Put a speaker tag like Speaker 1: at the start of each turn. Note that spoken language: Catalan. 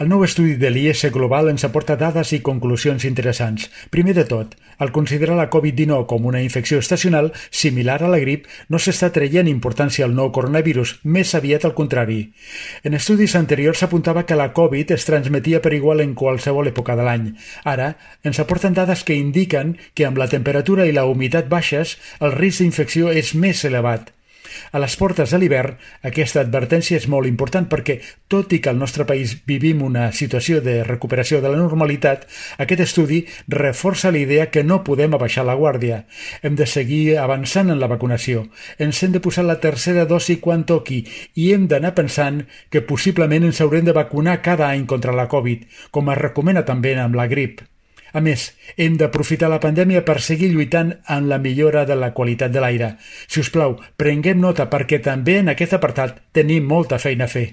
Speaker 1: El nou estudi de l'IS Global ens aporta dades i conclusions interessants. Primer de tot, al considerar la Covid-19 com una infecció estacional similar a la grip, no s'està traient importància al nou coronavirus, més aviat al contrari. En estudis anteriors s'apuntava que la Covid es transmetia per igual en qualsevol època de l'any. Ara, ens aporten dades que indiquen que amb la temperatura i la humitat baixes, el risc d'infecció és més elevat. A les portes de l'hivern, aquesta advertència és molt important perquè, tot i que al nostre país vivim una situació de recuperació de la normalitat, aquest estudi reforça la idea que no podem abaixar la guàrdia. Hem de seguir avançant en la vacunació. Ens hem de posar la tercera dosi quan toqui i hem d'anar pensant que possiblement ens haurem de vacunar cada any contra la Covid, com es recomana també amb la grip. A més, hem d'aprofitar la pandèmia per seguir lluitant en la millora de la qualitat de l'aire. Si us plau, prenguem nota perquè també en aquest apartat tenim molta feina a fer.